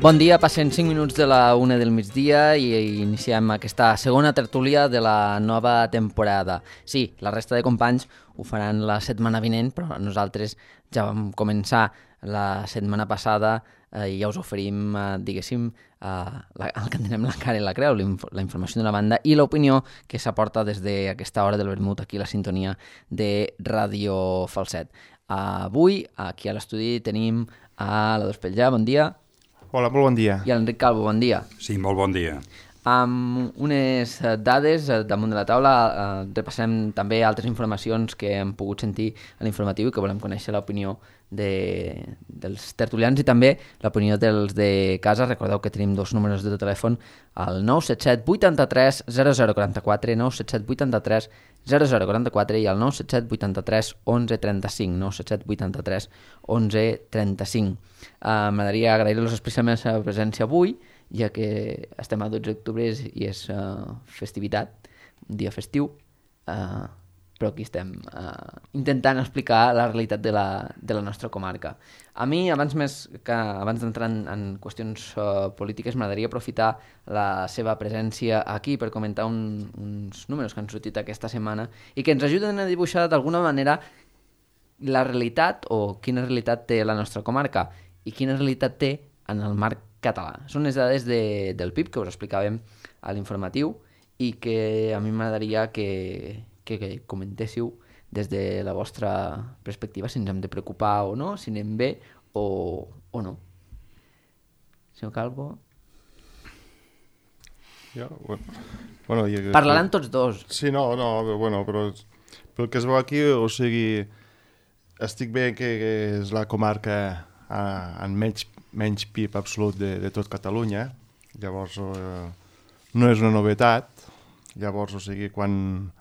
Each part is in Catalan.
Bon dia, passen 5 minuts de la 1 del migdia i iniciem aquesta segona tertúlia de la nova temporada. Sí, la resta de companys ho faran la setmana vinent, però nosaltres ja vam començar la setmana passada i ja us oferim, diguéssim, el que entenem la cara i la creu, la informació de la banda i l'opinió que s'aporta des d'aquesta hora del vermut aquí a la sintonia de Ràdio Falset. Avui, aquí a l'estudi, tenim a la Dospeljà, bon dia. Hola, molt bon dia. I a l'Enric Calvo, bon dia. Sí, molt bon dia. Amb unes dades damunt de la taula, repassem també altres informacions que hem pogut sentir a l'informatiu i que volem conèixer l'opinió dels tertulians i també l'opinió dels de casa. Recordeu que tenim dos números de telèfon, el 977 83 0044, 977 83 0044 i el 977 83 11 35, 977 83 11 35. M'agradaria agrair-los especialment la seva presència avui, ja que estem a 12 d'octubre i és festivitat, un dia festiu, però aquí estem intentant explicar la realitat de la nostra comarca. A mi, abans d'entrar en qüestions polítiques, m'agradaria aprofitar la seva presència aquí per comentar uns números que han sortit aquesta setmana i que ens ajuden a dibuixar d'alguna manera la realitat o quina realitat té la nostra comarca i quina realitat té en el marc català. Són les dades del PIB que us explicàvem a l'informatiu i que a mi m'agradaria que comentéssiu des de la vostra perspectiva si ens hem de preocupar o no, si anem bé o no. Senyor Calvo? Bueno, parlaran tots dos. Sí, però pel que es veu aquí, o sigui, estic bé que és la comarca amb menys PIB absolut de tot Catalunya, llavors no és una novetat, llavors, o sigui, quan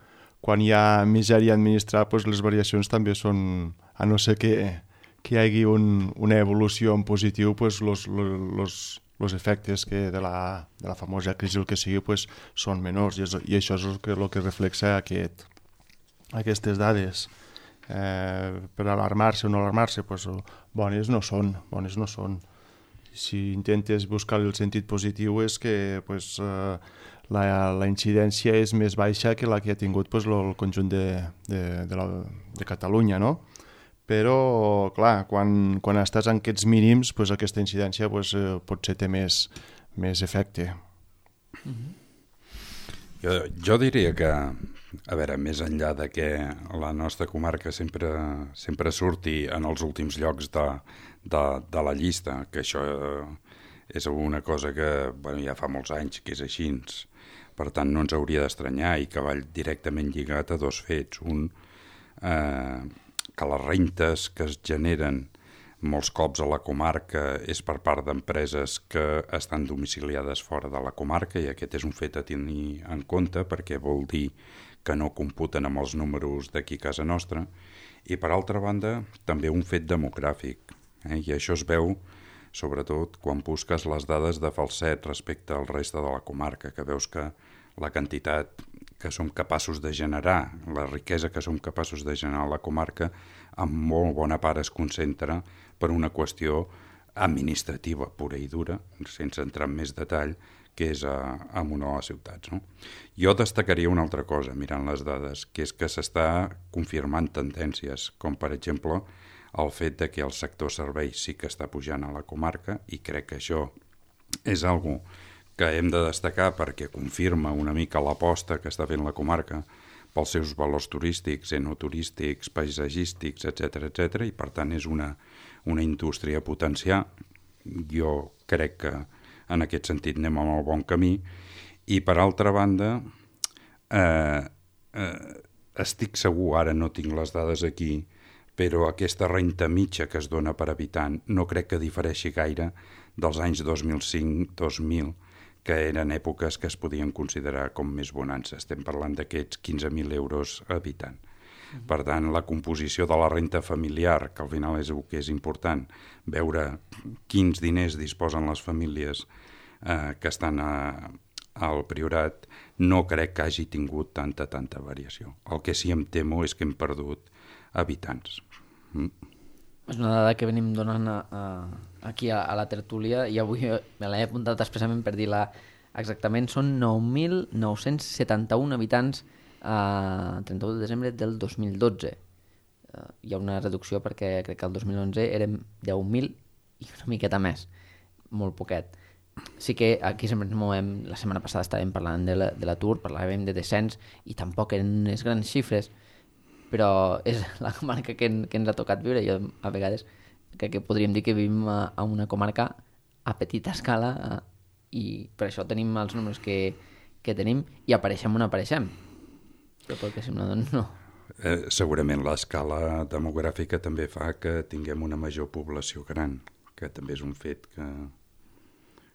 hi ha misèria a administrar, doncs les variacions també són, a no ser que hi hagi una evolució en positiu, doncs els efectes de la famosa crisi, el que sigui, doncs són menors, i això és el que reflexa aquestes dades. Per alarmar-se o no alarmar-se, doncs bones no són. Si intentes buscar el sentit positiu és que la incidència és més baixa que la que ha tingut el conjunt de Catalunya, no? Però, clar, quan estàs en aquests mínims, aquesta incidència potser té més efecte. Jo diria que, a veure, més enllà de que la nostra comarca sempre surti en els últims llocs de la llista, que això és una cosa que ja fa molts anys que és així, per tant no ens hauria d'estranyar i que va directament lligat a dos fets. Un, que les rentes que es generen molts cops a la comarca és per part d'empreses que estan domiciliades fora de la comarca, i aquest és un fet a tenir en compte perquè vol dir que no computen amb els números d'aquí a casa nostra, i per altra banda també un fet demogràfic, i això es veu sobretot quan busques les dades de Falset respecte al reste de la comarca, que veus que la quantitat que som capaços de generar, la riquesa que som capaços de generar a la comarca, en molt bona part es concentra per una qüestió administrativa pura i dura, sense entrar en més detall, que és en una de les ciutats. No? Jo destacaria una altra cosa, mirant les dades, que és que s'està confirmant tendències, com per exemple el fet de que el sector serveis sí que està pujant a la comarca, i crec que això és algo que hem de destacar perquè confirma una mica l'aposta que està fent la comarca pels seus valors turístics, enoturístics, paisatgístics, etc, i per tant és una indústria a potenciar. Jo crec que en aquest sentit anem en el bon camí, i per altra banda estic segur, ara no tinc les dades aquí, però aquesta renta mitja que es dona per habitant no crec que difereixi gaire dels anys 2005-2000, que eren èpoques que es podien considerar com més bonança. Estem parlant d'aquests 15.000 euros a habitant. Per tant, la composició de la renta familiar, que al final és el que és important, veure quins diners disposen les famílies que estan al Priorat, no crec que hagi tingut tanta variació. El que sí em temo és que hem perdut habitants. És una dada que venim donant aquí a la tertúlia, i avui me l'he apuntat expressament per dir-la exactament, són 9.971 habitants a 31 de desembre del 2012. Hi ha una reducció perquè crec que el 2011 érem 10.000 i una miqueta més, molt poquet. Sí que aquí sempre ens movem, la setmana passada estàvem parlant de l'atur, parlàvem de descens i tampoc eren unes grans xifres, però és la comarca que ens ha tocat viure. Jo a vegades crec que podríem dir que vivim a una comarca a petita escala i per això tenim els números que tenim i apareixem on apareixem. Però pel que sembla, doncs no. Segurament l'escala demogràfica també fa que tinguem una major població gran, que també és un fet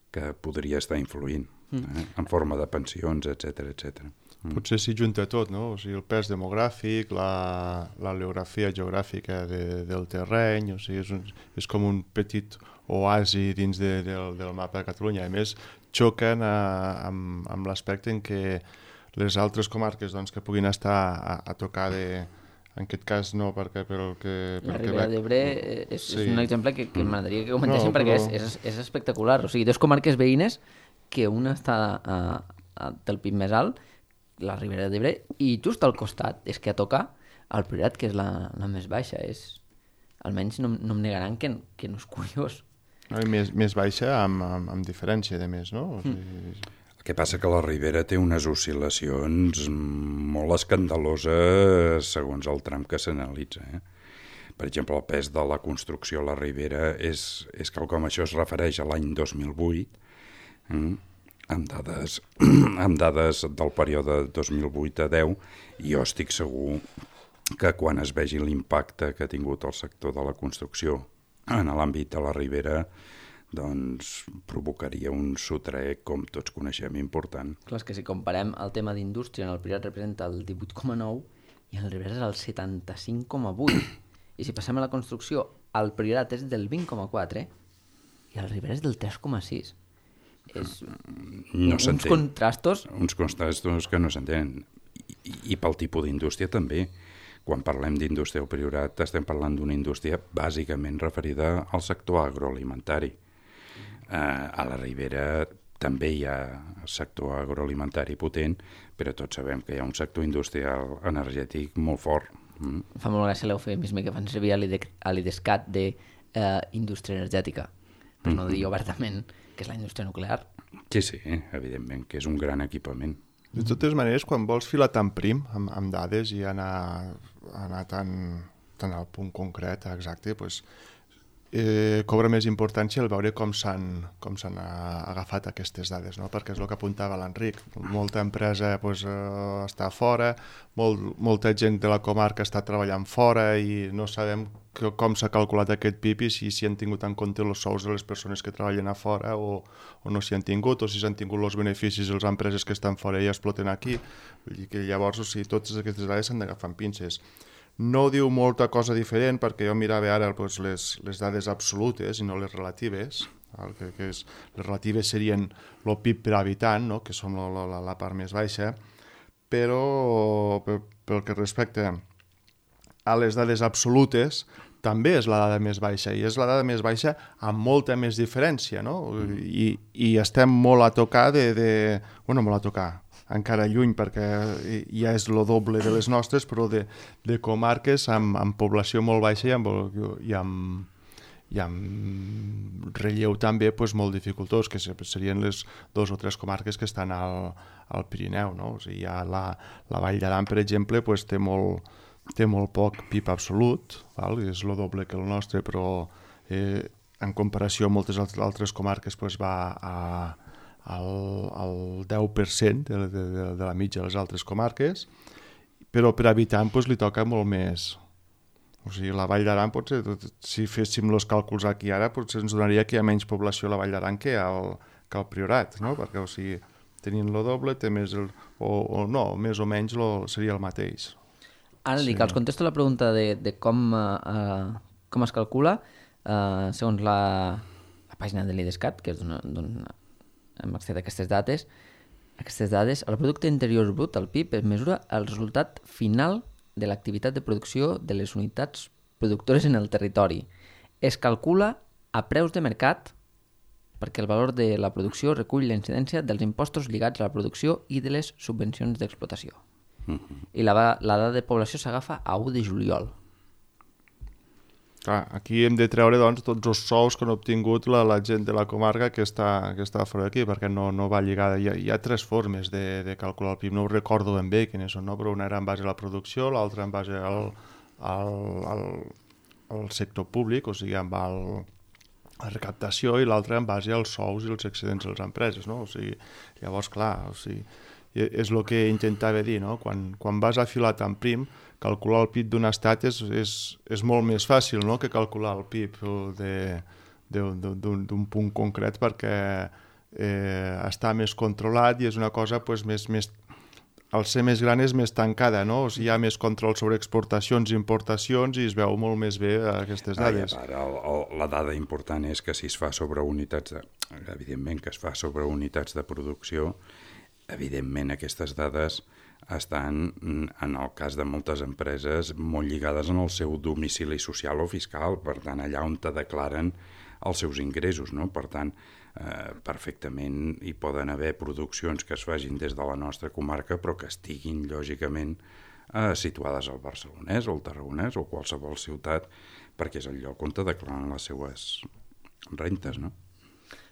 que podria estar influint en forma de pensions, etc. Potser s'hi junta tot, no? O sigui, el pes demogràfic, la geografia geogràfica del terreny, o sigui, és com un petit oasi dins del mapa de Catalunya. A més, xoquen amb l'aspecte en què les altres comarques doncs, que puguin estar a tocar en aquest cas no, perquè la Ribera d'Ebre és un exemple que m'agradaria que comentéssim, perquè és espectacular. O sigui, dues comarques veïnes que una està del PIB més alt, la Ribera d'Ebre, i just al costat és que a tocar el Priorat, que és la més baixa. Almenys no em negaran que no és curiós. Més baixa amb diferència, de més, no? O sigui... El que passa que la Ribera té unes oscil·lacions molt escandaloses segons el tram que s'analitza. Per exemple, el pes de la construcció a la Ribera és quelcom, això es refereix a l'any 2008, amb dades del període 2008 a 10, i jo estic segur que quan es vegi l'impacte que ha tingut el sector de la construcció en l'àmbit de la Ribera, doncs provocaria un sotraec, com tots coneixem, important. Clar, és que si comparem el tema d'indústria, en el Priorat representa el 18,9 i el Ribera és el 75,8. I si passem a la construcció, el Priorat és del 20,4 i el Ribera és del 3,6. Uns contrastos... Uns contrastos que no s'entenen. I pel tipus d'indústria també. Quan parlem d'indústria al Priorat estem parlant d'una indústria bàsicament referida al sector agroalimentari. A la Ribera també hi ha sector agroalimentari potent, però tots sabem que hi ha un sector industrial energètic molt fort. Fa molt gràcia l'eufemisme que fan servir a l'IDESCAT d'indústria energètica, per no dir obertament que és la indústria nuclear. Sí, evidentment, que és un gran equipament. De totes maneres, quan vols filar tan prim amb dades i anar tan al punt concret, exacte, doncs, cobra més importància el veure com s'han agafat aquestes dades, no? Perquè és el que apuntava l'Enric. Molta empresa està fora, molta gent de la comarca està treballant fora i no sabem com s'ha calculat aquest PIB i si han tingut en compte els sous de les persones que treballen a fora o no s'hi han tingut, o si s'han tingut els beneficis de les empreses que estan fora i exploten aquí. Vull dir que llavors, o sigui, totes aquestes dades s'han d'agafar amb pinces. No diu molta cosa diferent, perquè jo mirava ara les dades absolutes i no les relatives. Les relatives serien el PIB per habitant, no? Que són la part més baixa, però pel que respecta a les dades absolutes també és la dada més baixa, i és la dada més baixa amb molta més diferència, no? I estem molt a tocar molt a tocar, encara lluny, perquè ja és el doble de les nostres, però de comarques amb població molt baixa i amb relleu també molt dificultós, que serien les 2 o 3 comarques que estan al Pirineu, no? O sigui, la Vall d'Aran, per exemple, té molt poc PIB absolut, és el doble que el nostre, però en comparació amb moltes altres comarques va al 10% de la mitja de les altres comarques, però per habitant li toca molt més. O sigui, la Vall d'Aran, potser, si féssim els càlculs aquí ara, potser ens donaria que hi ha menys població a la Vall d'Aran que al Priorat, no? Perquè, o sigui, tenint el doble, té més o no, més o menys seria el mateix. Ara dic, els contesto la pregunta de com es calcula, segons la pàgina de l'IDESCAT, que és d'on hem accedit a aquestes dades, el producte interior brut, el PIB, es mesura el resultat final de l'activitat de producció de les unitats productores en el territori. Es calcula a preus de mercat perquè el valor de la producció recull la incidència dels impostos lligats a la producció i de les subvencions d'explotació. I la dada de població s'agafa a 1 de juliol. Clar, aquí hem de treure doncs, tots els sous que han obtingut la gent de la comarca que està fora d'aquí, perquè no va lligada. Hi ha 3 formes de calcular el PIB, no ho recordo ben bé quines són, no? Però una era en base a la producció, l'altra en base al sector públic, o sigui, amb la recaptació, i l'altra en base als sous i els excedents de les empreses, no? O sigui, llavors, clar, o sigui, és el que intentava dir, no? Quan vas afilat en prim, calcular el PIB d'un estat és molt més fàcil, no?, que calcular el PIB d'un punt concret, perquè està més controlat i és una cosa pues, més al ser més gran és més tancada, no? O sigui, hi ha més control sobre exportacions i importacions i es veu molt més bé aquestes dades. La dada important és que si es fa sobre unitats evidentment que es fa sobre unitats de producció, evidentment aquestes dades estan, en el cas de moltes empreses, molt lligades en el seu domicili social o fiscal, per tant, allà on te declaren els seus ingressos, no? Per tant, perfectament hi poden haver produccions que es facin des de la nostra comarca, però que estiguin, lògicament, situades al Barcelonès o al Tarragonès o qualsevol ciutat, perquè és el lloc on te declaren les seues rentes, no?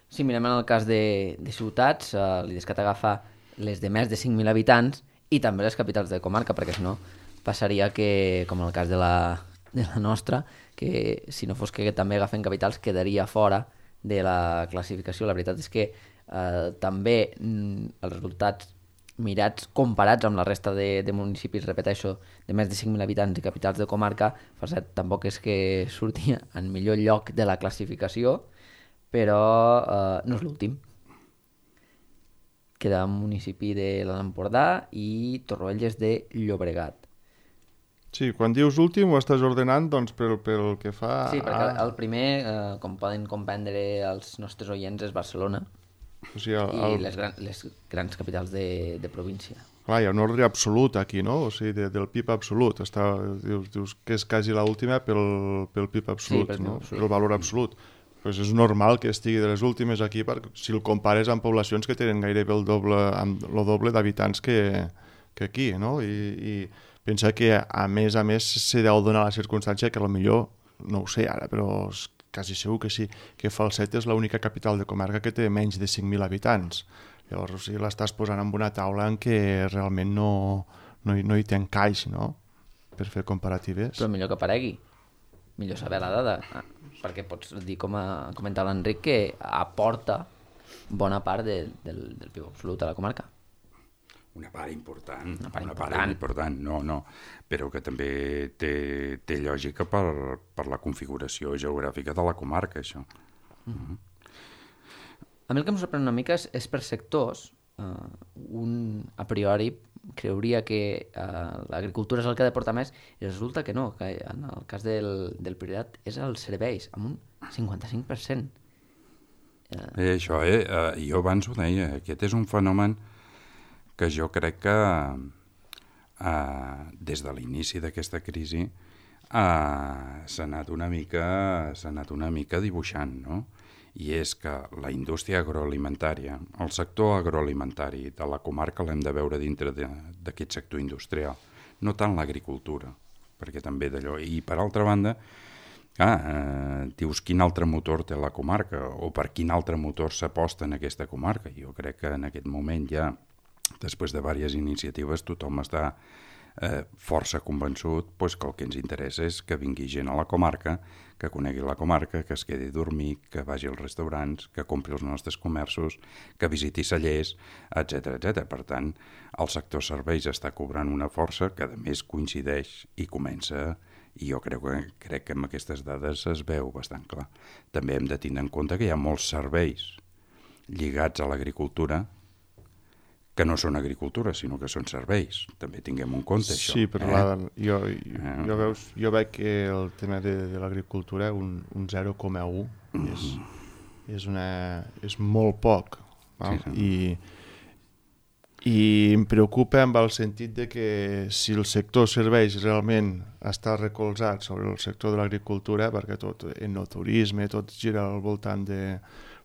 Si mirem en el cas de ciutats, l'IDESCAT agafa les de més de 5.000 habitants i també les capitals de comarca, perquè si no passaria que, com en el cas de la nostra, que si no fos que també agafen capitals quedaria fora de la classificació. La veritat és que també els resultats mirats, comparats amb la resta de municipis, repeteixo, de més de 5.000 habitants i capitals de comarca, Falset tampoc és que sortia en millor lloc de la classificació, però no és l'últim. Queda un municipi de l'Alt Empordà i Torroelles de Llobregat. Sí, quan dius últim ho estàs ordenant doncs, pel que fa... Sí, perquè el primer, com poden comprendre els nostres oients, és Barcelona, o sigui, i les grans capitals de província. Clar, hi ha un ordre absolut aquí, no? O sigui, del PIB absolut. Dius que és quasi l'última pel PIB absolut, sí, no? Absolut. El valor absolut. Pues és normal que estigui de les últimes aquí, perquè si el compares amb poblacions que tenen gairebé el doble d'habitants que aquí, no? I pensa que a més se deu donar la circumstància que potser, no ho sé ara, però quasi segur que sí, que Falset és l'única capital de comarca que té menys de 5.000 habitants. Llavors, o sigui, l'estàs posant en una taula en què realment no hi té encaix, no?, per fer comparatives. Però millor que aparegui. Millor saber la dada, perquè pots dir, com ha comentat l'Enric, que aporta bona part del PIB absolut a la comarca. Una part important. No, però que també té lògica per la configuració geogràfica de la comarca, això. A mi el que em sorprèn una mica és per sectors. Un a priori creuria que l'agricultura és el que ha de portar més i resulta que no, que en el cas del Priorat és els serveis, amb un 55%. Això, jo abans ho deia, aquest és un fenomen que jo crec que des de l'inici d'aquesta crisi s'ha anat una mica dibuixant, no? I és que la indústria agroalimentària, el sector agroalimentari de la comarca l'hem de veure dintre d'aquest sector industrial, no tant l'agricultura, perquè també d'allò... I per altra banda, dius quin altre motor té la comarca o per quin altre motor s'aposta en aquesta comarca. Jo crec que en aquest moment ja, després de diverses iniciatives, tothom està força convençut que el que ens interessa és que vingui gent a la comarca, que conegui la comarca, que es quedi a dormir, que vagi als restaurants, que compri els nostres comerços, que visiti cellers, etc. Per tant, el sector serveis està cobrant una força que a més coincideix i comença, i jo crec que amb aquestes dades es veu bastant clar. També hem de tenir en compte que hi ha molts serveis lligats a l'agricultura que no són agricultura, sinó que són serveis. També tinguem en compte això. Sí, però jo veig que el tema de l'agricultura, un 0,1 és molt poc. Sí. I I em preocupa amb el sentit de que si el sector serveis realment està recolzat sobre el sector de l'agricultura, perquè tot en el turisme, tot gira al voltant de...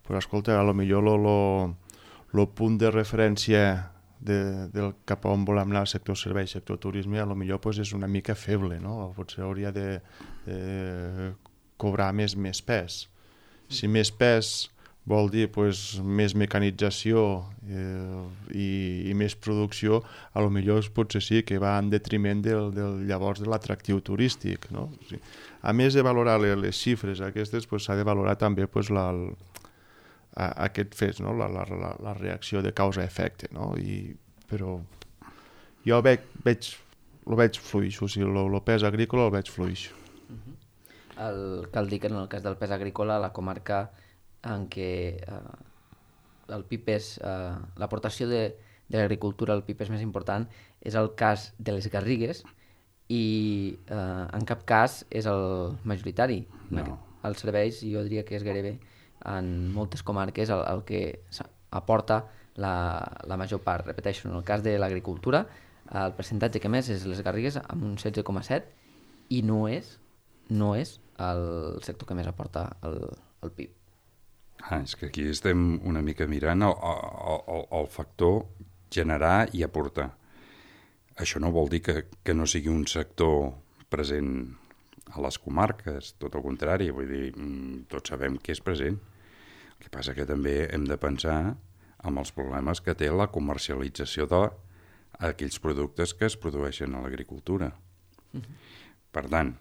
Però escolta, a lo millor el punt de referència del cap a on volem anar, sector serveis, sector turisme, a lo millor pues, és una mica feble, no? Potser hauria de cobrar més pes. Si més pes vol dir pues, més mecanització i més producció, a lo millor potser sí que va en detriment llavors de l'atractiu turístic. No? O sigui, a més de valorar les xifres aquestes, pues, s'ha de valorar també pues, aquest fet, no? la reacció de causa-efecte. No? Però jo el veig fluix, o sigui, el pes agrícola el veig fluix. Cal dir que en el cas del pes agrícola, la comarca en què el PIB és l'aportació de l'agricultura al PIB és més important és el cas de les Garrigues i en cap cas és el majoritari. No. Els serveis jo diria que és gairebé en moltes comarques el que aporta la major part. Repeteixo, en el cas de l'agricultura el percentatge que més és les Garrigues amb un 16,7 i no és el sector que més aporta al PIB. És que aquí estem una mica mirant el factor generar i aportar. Això no vol dir que no sigui un sector present a les comarques, tot el contrari, vull dir, tots sabem que és present. El que passa que també hem de pensar en els problemes que té la comercialització d'aquells productes que es produeixen a l'agricultura. Per tant,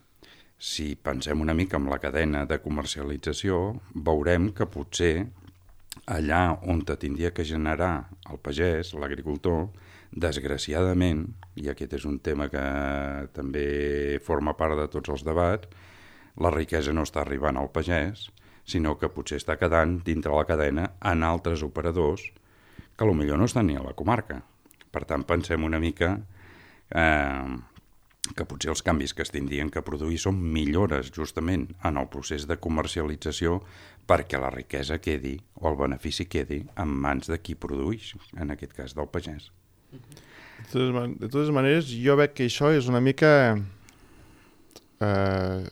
si pensem una mica en la cadena de comercialització, veurem que potser allà on tindria que generar el pagès, l'agricultor, desgraciadament, i aquest és un tema que també forma part de tots els debats, la riquesa no està arribant al pagès, sinó que potser està quedant dintre la cadena en altres operadors que potser no estan ni a la comarca. Per tant, pensem una mica que potser els canvis que es tindrien que produir són millores justament en el procés de comercialització perquè la riquesa quedi o el benefici quedi en mans de qui produeix, en aquest cas del pagès. De totes maneres, jo veig que això és una mica...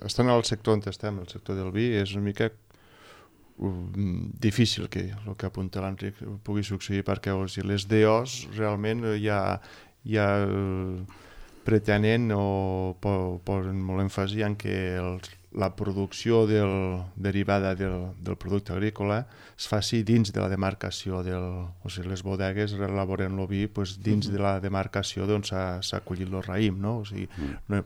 estant al sector on estem, el sector del vi, és una mica difícil que el que apunta l'Enric pugui succeir perquè les DOs realment ja pretenen o posen molt èmfasi en que la producció derivada del producte agrícola es faci dins de la demarcació o sigui, les bodegues elaboren el vi dins de la demarcació d'on s'ha collit el raïm, no? O sigui,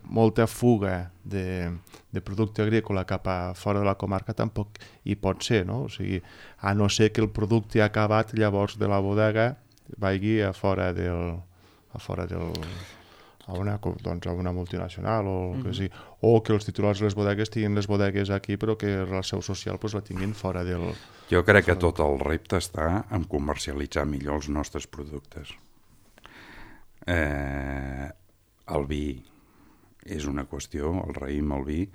molta fuga de producte agrícola cap a fora de la comarca tampoc hi pot ser, no? O sigui, a no ser que el producte acabat llavors de la bodega vagi a fora del a una multinacional o que els titulars de les bodegues tinguin les bodegues aquí però que la seu social la tinguin fora del... Jo crec que tot el repte està en comercialitzar millor els nostres productes. El vi és una qüestió, el raïm, el vi,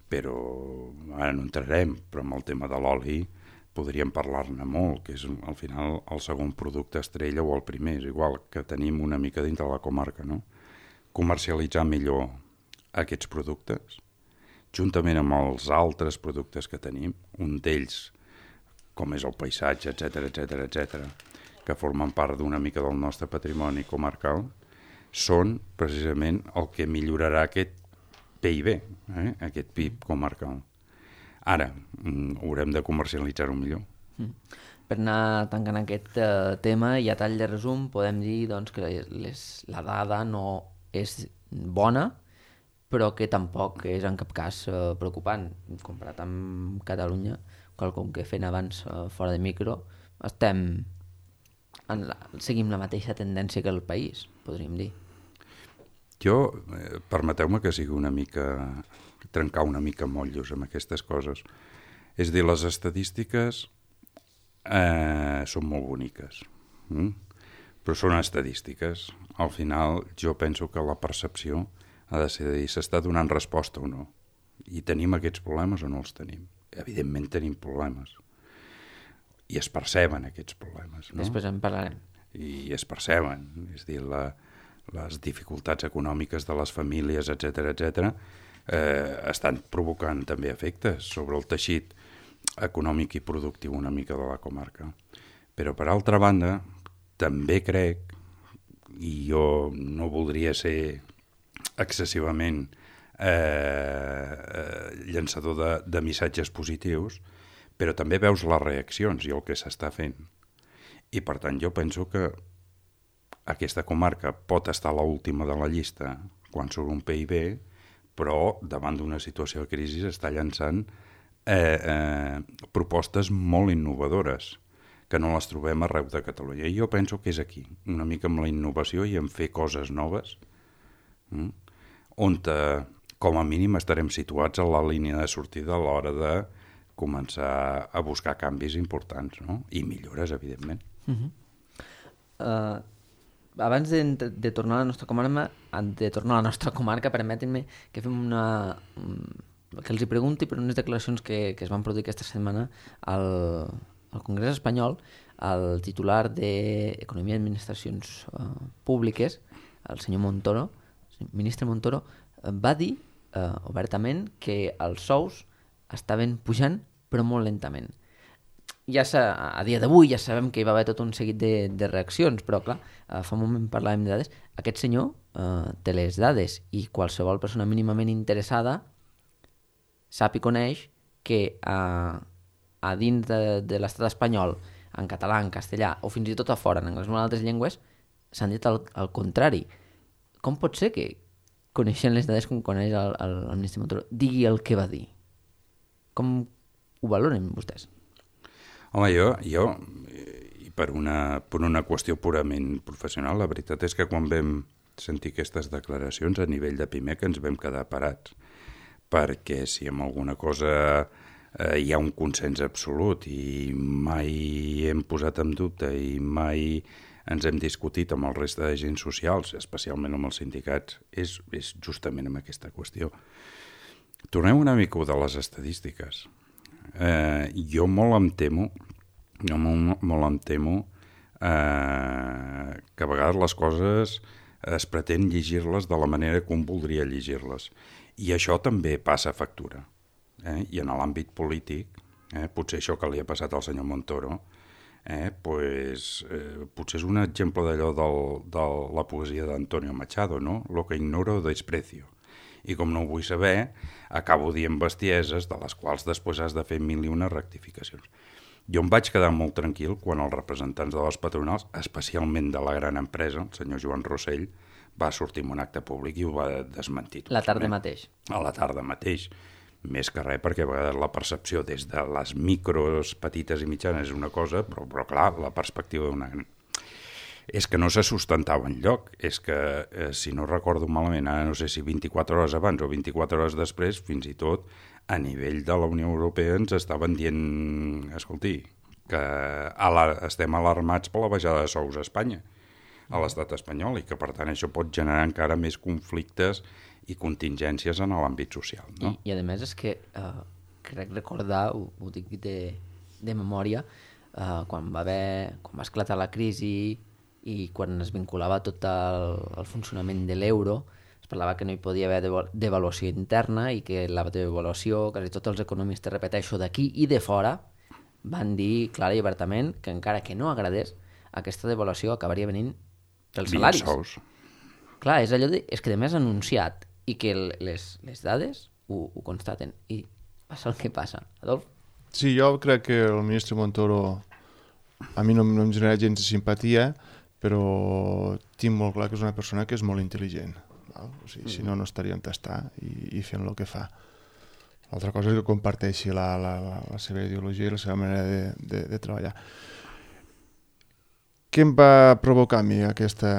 però ara no entrarem, però amb el tema de l'oli podríem parlar-ne molt, que és al final el segon producte estrella o el primer, és igual que tenim una mica dintre la comarca, no? Comercialitzar millor aquests productes, juntament amb els altres productes que tenim, un d'ells, com és el paisatge, etc., que formen part d'una mica del nostre patrimoni comarcal, són precisament el que millorarà aquest PIB, aquest PIB comarcal. Ara, haurem de comercialitzar-ho millor. Per anar tancant aquest tema i a tall de resum podem dir doncs, que la dada no és bona, però que tampoc és en cap cas preocupant. Comparat amb Catalunya, quelcom que fent abans fora de micro, seguim la mateixa tendència que el país, podríem dir. Jo, permeteu-me que sigui una mica, trencar una mica motllos amb aquestes coses. És dir, les estadístiques són molt boniques, però són estadístiques. Al final, jo penso que la percepció ha de ser de dir s'està donant resposta o no. I tenim aquests problemes o no els tenim? Evidentment tenim problemes. I es perceben aquests problemes, no? Després en parlarem. i es perceben. És a dir, les dificultats econòmiques de les famílies, etc., estan provocant també efectes sobre el teixit econòmic i productiu una mica de la comarca. Però, per altra banda, també crec, i jo no voldria ser excessivament llançador de missatges positius, però també veus les reaccions i el que s'està fent. I, per tant, jo penso que aquesta comarca pot estar a l'última de la llista quan surt un PIB, però davant d'una situació de crisi està llançant propostes molt innovadores que no les trobem arreu de Catalunya. I jo penso que és aquí, una mica amb la innovació i en fer coses noves, on com a mínim estarem situats a la línia de sortida a l'hora de començar a buscar canvis importants, no? I millores, evidentment. Abans de tornar a la nostra comarca, permetin-me que fem que els hi pregunti per unes declaracions que es van produir aquesta setmana al Congrés espanyol. El titular d'Economia i Administracions Públiques, el senyor Montoro, el ministre Montoro, va dir obertament que els sous estaven pujant, però molt lentament. A dia d'avui ja sabem que hi va haver tot un seguit de reaccions, però clar, fa un moment parlàvem de dades. Aquest senyor té les dades i qualsevol persona mínimament interessada sap i coneix que a dins de l'estat espanyol, en català, en castellà, o fins i tot a fora, en anglès o en altres llengües, s'han dit el contrari. Com pot ser que, coneixent les dades com coneix el ministre Montoro, digui el que va dir? Com ho valoren vostès? Home, jo per una qüestió purament professional, la veritat és que quan vam sentir aquestes declaracions a nivell de PIMEC ens vam quedar parats, perquè si en alguna cosa hi ha un consens absolut i mai hem posat en dubte i mai ens hem discutit amb el reste d'agents socials, especialment amb els sindicats, és justament amb aquesta qüestió. Tornem una mica de les estadístiques. Jo molt em temo que a vegades les coses es pretén llegir-les de la manera com voldria llegir-les. I això també passa factura. I en l'àmbit polític, potser això que li ha passat al senyor Montoro, potser és un exemple d'allò de la poesia d'Antonio Machado, no? Lo que ignoro desprecio. I com no ho vull saber, acabo dient bestieses de les quals després has de fer 1001 rectificacions. Jo em vaig quedar molt tranquil quan els representants de les patronals, especialment de la gran empresa, el senyor Joan Rossell, va sortir en un acte públic i ho va desmentir. La tarda mateix. A la tarda mateix. Més que res perquè a vegades la percepció des de les micros, petites i mitjanes és una cosa, però clar, la perspectiva d'una gran... És que no se sustentava enlloc. És que, si no recordo malament, ara no sé si 24 hores abans o 24 hores després, fins i tot a nivell de la Unió Europea ens estaven dient, escolti, que estem alarmats per la baixada de sous a Espanya, a l'estat espanyol, i que per tant això pot generar encara més conflictes i contingències en l'àmbit social. No? I a més és que crec recordar, ho dic de memòria, quan va esclatar la crisi i quan es vinculava tot el funcionament de l'euro, es parlava que no hi podia haver devaluació interna i que la devaluació, quasi tots els economistes, repeteixo, d'aquí i de fora, van dir clara i obertament que encara que no agradés, aquesta devaluació acabaria venint pels salaris. Sous. Clar, és allò és que de més anunciat i que les dades ho constaten i passa el que passa. Adolf? Sí, jo crec que el ministre Montoro a mi no em genera gens de simpatia, però tinc molt clar que és una persona que és molt intel·ligent. Val? O sigui, si no, no estaria on està i fent el que fa. L'altra cosa és que comparteixi la seva ideologia i la seva manera de treballar. Què em va provocar a mi aquesta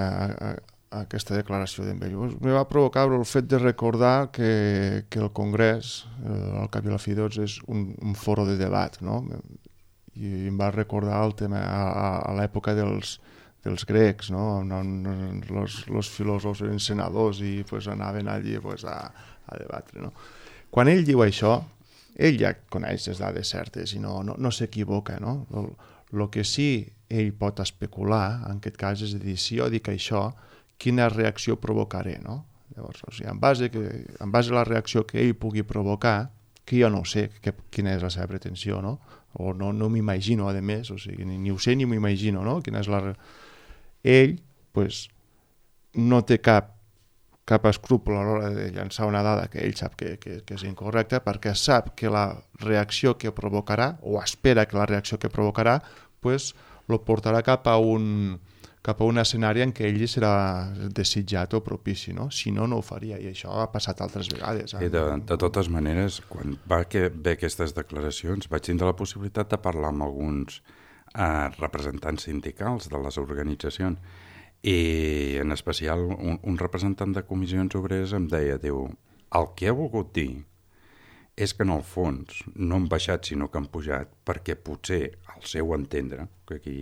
declaració d'en Bello? Me va provocar el fet de recordar que el Congrés, al cap i a la fi, és un foro de debat, no? I em va recordar el tema a l'època dels grecs, no? Els filòsofs eren senadors i anaven allí a debatre, no? Quan ell diu això, ell ja coneix les dades certes i no s'equivoca, no? El que sí ell pot especular, en aquest cas, és a dir, si jo dic això, quina reacció provocaré, no? Llavors, o sigui, en base a la reacció que ell pugui provocar, que jo no ho sé quina és la seva pretensió, no? O no m'imagino, a més, o sigui, ni ho sé ni m'ho imagino, no? Quina és ell, pues, no té cap escrúpol a l'hora de llançar una dada que ell sap que és incorrecta, perquè sap que la reacció que provocarà, o espera que la reacció que provocarà, pues, lo portarà cap a un escenari en què ell serà desitjat o propici, no? Si no, no ho faria, i això ha passat altres vegades. De totes maneres, quan va haver aquestes declaracions, vaig tindre la possibilitat de parlar amb alguns representants sindicals de les organitzacions, i en especial un representant de comissions obreres em deia, diu, el que ha volgut dir és que en el fons no han baixat sinó que han pujat perquè potser al seu entendre, que aquí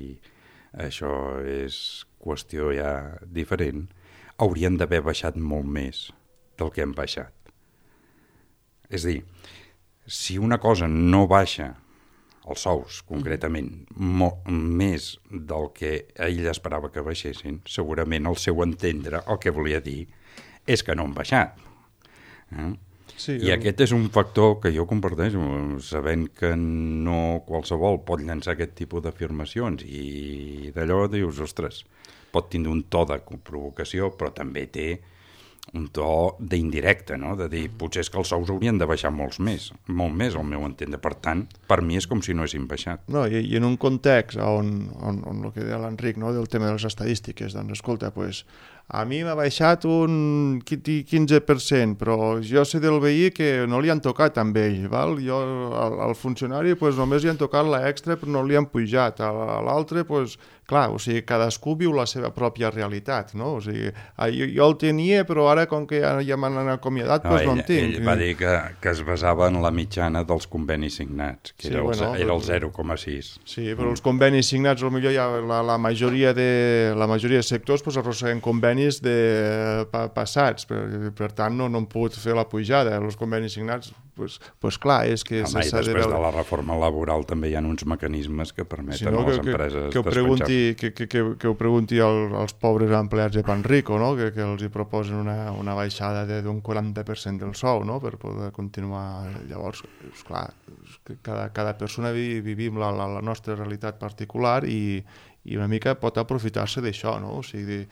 això és qüestió ja diferent, haurien d'haver baixat molt més del que han baixat. És a dir, si una cosa no baixa, els sous concretament, més del que ell esperava que baixessin, segurament al seu entendre el que volia dir és que no han baixat. Sí, I aquest és un factor que jo comparteixo, sabent que no qualsevol pot llançar aquest tipus d'afirmacions, i d'allò dius, ostres, pot tindre un to de provocació, però també té un to d'indirecte, no? De dir, potser és que els sous haurien de baixar molt més, al meu entendre. Per tant, per mi és com si no haguessin baixat. No, i en un context on el que deia l'Enric, no, del tema de les estadístiques, doncs escolta, pues, a mi m'ha baixat un 15%, però jo sé del veí que no li han tocat amb ell, val? Al funcionari pues, només li han tocat l'extra però no li han pujat, a l'altre pues, clar, o sigui, cadascú viu la seva pròpia realitat, no? O sigui, jo el tenia però ara com que ja m'han acomiadat pues, no en tinc. Ell va dir que es basava en la mitjana dels convenis signats, que sí, era el 0,6. Sí, però els convenis signats potser ja la majoria de sectors pues, arrosseguen convenis passats, per tant no han pogut fer la pujada. Els convenis signats, pues clar, és que... Home, i després de la reforma laboral també hi ha uns mecanismes que permeten a les empreses despenjar. Que ho pregunti als pobres empleats de Panrico, no? Que els hi proposen una baixada d'un 40% del sou, no? Per poder continuar. Llavors, clar, cada persona vivim la nostra realitat particular i una mica pot aprofitar-se d'això, no? O sigui,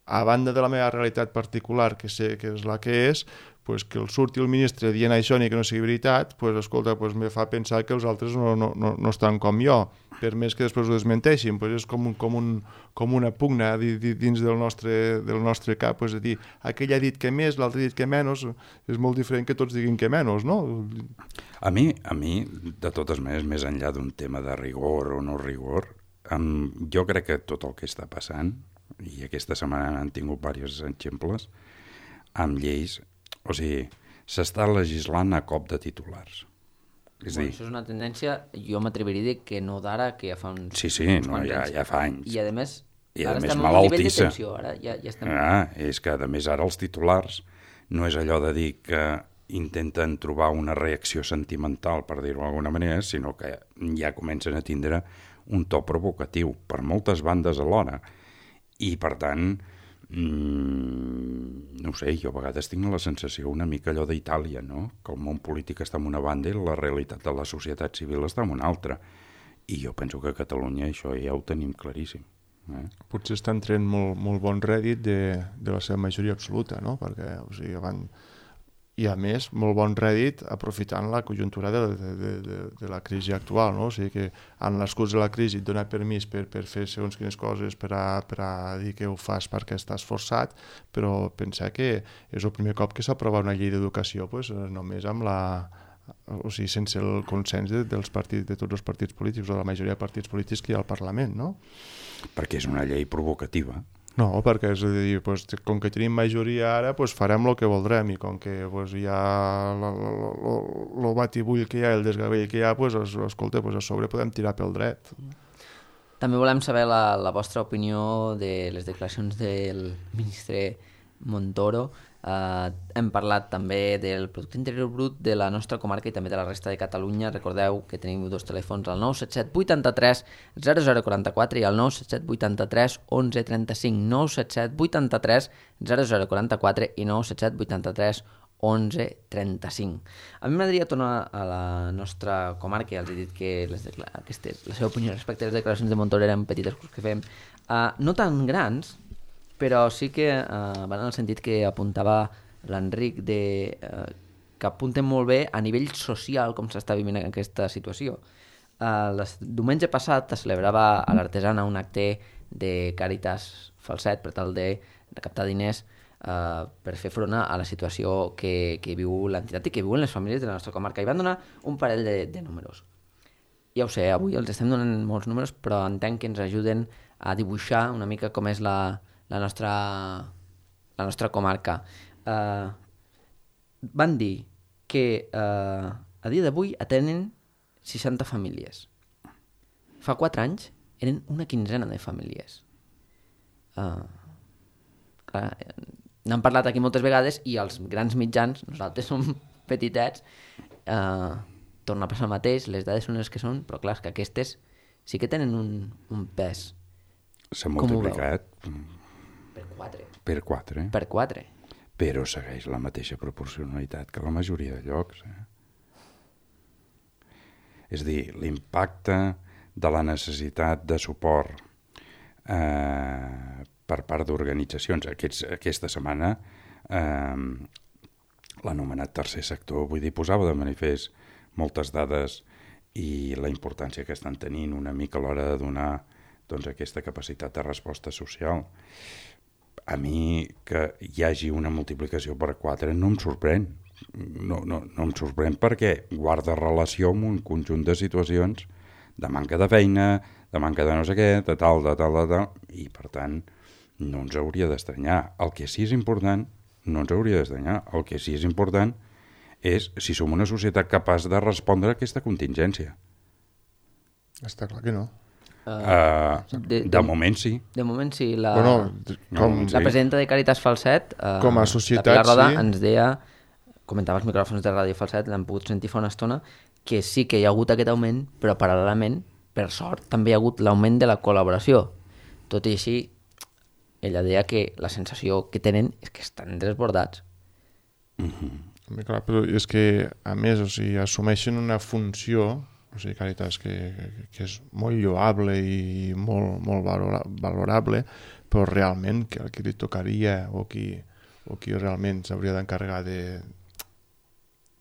a banda de la meva realitat particular, que sé que és la que és, pues que el surti el ministre dient això ni que no sigui veritat, pues, escolta, pues, me fa pensar que els altres no estan com jo, per més que després ho desmenteixin, pues és com una pugna dins del nostre cap, pues, és a dir, aquell ha dit que més, l'altre ha dit que menys, és molt diferent que tots diguin que menys, no? A mi, de totes maneres, més enllà d'un tema de rigor o no rigor, jo crec que tot el que està passant, i aquesta setmana han tingut diversos exemples, amb lleis, o sigui, s'està legislant a cop de titulars. Això és una tendència, jo m'atreviria a dir que no d'ara, que ja fa uns... Sí, ja fa anys. I a més, ara estem a un nivell de tensió, ara ja estem... És que a més ara els titulars no és allò de dir que intenten trobar una reacció sentimental, per dir-ho d'alguna manera, sinó que ja comencen a tindre un to provocatiu per moltes bandes alhora. I, per tant, no ho sé, jo a vegades tinc la sensació una mica allò d'Itàlia, no? Que el món polític està en una banda i la realitat de la societat civil està en una altra. I jo penso que a Catalunya això ja ho tenim claríssim. Potser estan traient molt bon rèdit de la seva majoria absoluta, no? Perquè, o sigui, i a més, molt bon rèdit aprofitant la conjuntura de la crisi actual, no? O sigui que en l'excurs de la crisi et dona permís per fer segons quines coses per a dir que ho fas perquè estàs forçat, però pensar que és el primer cop que s'aprova una llei d'educació pues, només amb o sigui, sense el consens de tots els partits polítics o de la majoria de partits polítics que hi ha al Parlament, no? Perquè és una llei provocativa. No, perquè és a dir, pues, com que tenim majoria ara, pues, farem el que voldrem i com que pues, hi ha el batibull que hi ha, el desgavell que hi ha, pues, escolta, pues, a sobre podem tirar pel dret. També volem saber la vostra opinió de les declaracions del ministre Montoro. Hem parlat també del Producte Interior Brut de la nostra comarca i també de la resta de Catalunya. Recordeu que tenim dos telèfons, el 977 83 0044 i el 977 83 11 35, 977 83 0044 i 977 83 11 35. A mi m'agradaria tornar a la nostra comarca, ja els he dit que la seva opinió respecte a les declaracions de Montoro eren petites que fem, no tan grans, però sí que van en el sentit que apuntava l'Enric que apunten molt bé a nivell social com s'està vivint aquesta situació. Diumenge passat es celebrava a l'Artesana un acte de Càritas Falset per tal de recaptar diners per fer front a la situació que viu l'entitat i que viuen les famílies de la nostra comarca. I van donar un parell de números. Ja ho sé, avui els estem donant molts números, però entenc que ens ajuden a dibuixar una mica com és la nostra comarca. Van dir que a dia d'avui atenen 60 famílies. Fa 4 anys eren una quinzena de famílies. N'hem parlat aquí moltes vegades i els grans mitjans, nosaltres som petitets, torna a passar el mateix, les dades són les que són, però clar, que aquestes sí que tenen un pes. S'ha multiplicat per 4. Per 4. Per 4. Però segueix la mateixa proporcionalitat que la majoria de llocs. És a dir, l'impacte de la necessitat de suport per part d'organitzacions. Aquesta setmana l'anomenat tercer sector, vull dir, posava de manifest moltes dades i la importància que estan tenint una mica a l'hora de donar doncs, aquesta capacitat de resposta social. A mi que hi hagi una multiplicació per 4 no em sorprèn. No em sorprèn perquè guarda relació amb un conjunt de situacions de manca de feina, de manca de no sé què, de tal, i per tant no ens hauria d'estranyar. El que sí és important, no ens hauria d'estranyar, el que sí és important és si som una societat capaç de respondre a aquesta contingència. Està clar que no. De moment sí. De moment sí. La presidenta de Càritas Falset, com a societat, la Pilar Roda, sí, ens deia, comentava els micròfons de Ràdio Falset, l'hem pogut sentir fa una estona, que sí que hi ha hagut aquest augment, però paral·lelament, per sort, també hi ha hagut l'augment de la col·laboració. Tot i així, ella deia que la sensació que tenen és que estan desbordats. Clar, però és que, a més, o sigui, assumeixen una funció, o sigui, Càritas, que és molt lloable i molt valorable, però realment que el que li tocaria o qui realment s'hauria d'encarregar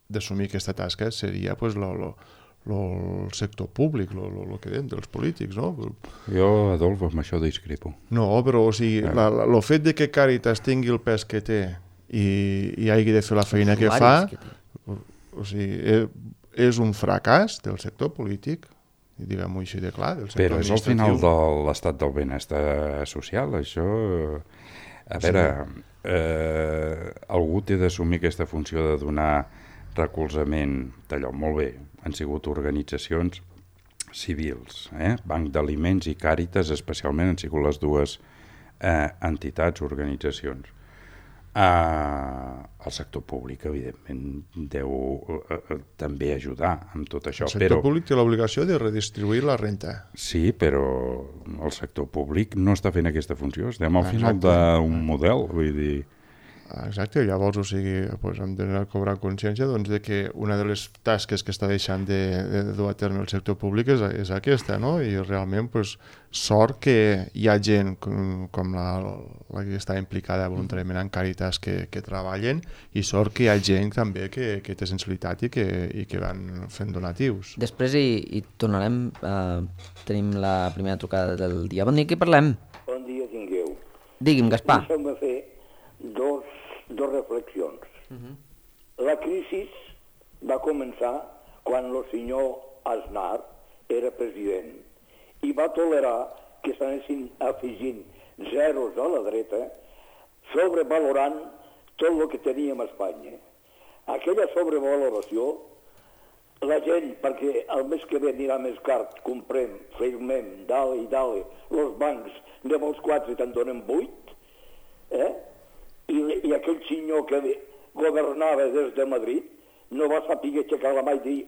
d'assumir aquesta tasca seria pues, el sector públic, el que dèiem dels polítics, no? Jo, Adolf, amb això discrepo. No, però o sigui, el fet de que Càritas tingui el pes que té i hagi de fer la feina que fa, o sigui, és un fracàs del sector polític, diguem-ho així de clar, del sector però és al final de l'estat del benestar social, això... A veure, algú té d'assumir aquesta funció de donar recolzament d'allò. Molt bé, han sigut organitzacions civils, Banc d'Aliments i Càritas especialment han sigut les dues entitats, organitzacions. El sector públic, evidentment, deu també ajudar amb tot això. El sector públic té l'obligació de redistribuir la renta. Sí, però el sector públic no està fent aquesta funció. Estem al final d'un model, vull dir... Exacte, llavors, o sigui, doncs hem de cobrar consciència doncs, de que una de les tasques que està deixant de dur a terme el sector públic és aquesta, no? I realment, doncs, sort que hi ha gent com la que està implicada voluntàriament en Càritas que treballen i sort que hi ha gent també que té sensibilitat i que van fent donatius. Després hi tornarem, tenim la primera trucada del dia. Bon dia, qui parlem? Bon dia tingueu. Digui'm, Gaspar. Deixeu-me fer dos reflexions. La crisi va començar quan el senyor Aznar era president i va tolerar que s'anessin afegint zeros a la dreta, sobrevalorant tot el que teníem a Espanya. Aquella sobrevaloració, la gent, perquè el mes que ve anirà més car, comprem, firmem, dale i dale, els bancs de molts 4 te'n donen 8, i aquell senyor que governava des de Madrid no va saber aixecar la mà i dir